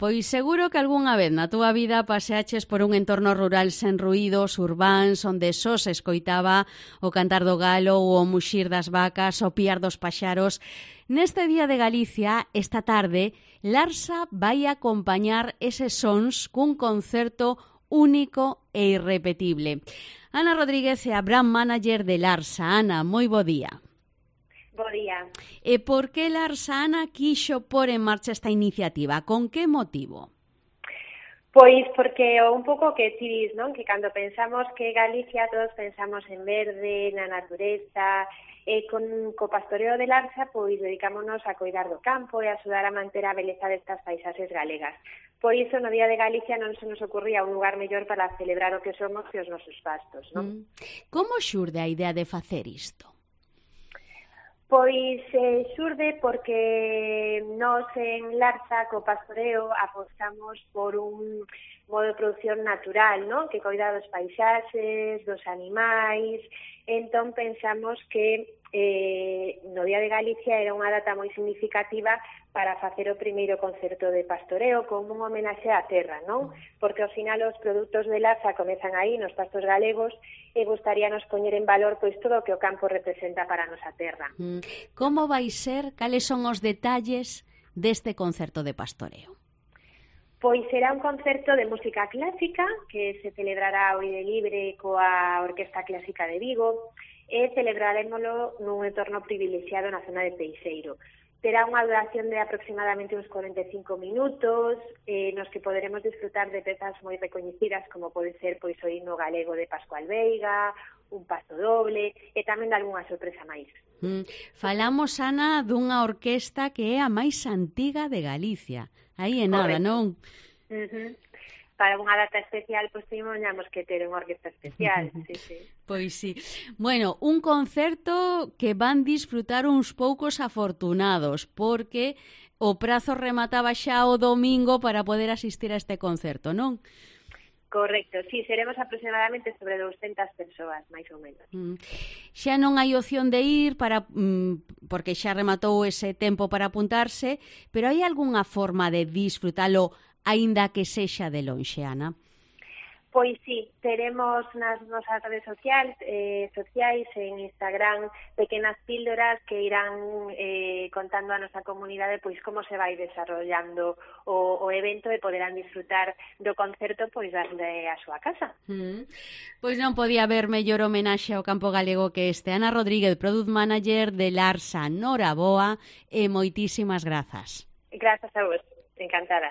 Pois seguro que algunha vez na túa vida paseaches por un entorno rural sen ruídos urbáns onde só se escoitaba o cantar do galo ou o muxir das vacas, o piar dos paxaros. Neste Día de Galicia, esta tarde, Larsa vai acompañar eses sons cun concerto único e irrepetible. Ana Rodríguez é a brand manager de Larsa. Ana, moi bo día. Bo día. E por que Larsa, Ana, quixo pôr en marcha esta iniciativa? Con que motivo? Pois porque un pouco que ti dis, non? Que cando pensamos que Galicia todos pensamos en verde, na natureza, e co pastoreo de Larsa pois dedicámonos a coidar do campo e a axudar a manter a beleza destas paisaxes galegas. Por iso no Día de Galicia non se nos ocurría un lugar mellor para celebrar o que somos que os nosos pastos, non? Como xurde a idea de facer isto? Pois xurde porque nós en Larsa, co pastoreo, apostamos por un modo de producción natural, non? Que coida dos paisaxes, dos animais. Entón pensamos que no Día de Galicia era unha data moi significativa para facer o primeiro concerto de pastoreo como un homenaxe á terra, non? Porque ao final os produtos de Larsa comezan aí nos pastos galegos e gustaríanos poñer en valor pois todo o que o campo representa para a nosa terra. Como vai ser? Cales son os detalles deste concerto de pastoreo? Pois será un concerto de música clásica que se celebrará ao aire libre coa Orquesta Clásica de Vigo e celebrarémolo nun entorno privilexiado na zona de Peixeiro. Terá unha duración de aproximadamente uns 45 minutos, nos que poderemos disfrutar de pezas moi recoñecidas como pode ser pois o himno galego de Pascual Veiga, un paso doble e tamén de algunha sorpresa máis. Falamos, Ana, dunha orquesta que é a máis antiga de Galicia. Aí é nada, non? Para unha data especial, pois tiñamos que ter unha orquesta especial, sí. Pois sí. Bueno, un concerto que van disfrutar uns poucos afortunados, porque o prazo remataba xa o domingo para poder asistir a este concerto, non? Correcto, sí, seremos aproximadamente sobre 200 persoas, máis ou menos. Xa non hai opción de ir porque xa rematou ese tempo para apuntarse, pero hai algunha forma de disfrutalo aínda que sexa de lonxe, Ana? Pois sí, teremos nas nosas redes sociais en Instagram pequenas píldoras que irán contando a nosa comunidade pois como se vai desarrollando o evento e poderán disfrutar do concerto pois desde a súa casa. Pois non podía haber mellor homenaxe ao campo galego que este. Ana Rodríguez, Product Manager de Larsa. Noraboa e moitísimas grazas. Grazas a vos, encantada.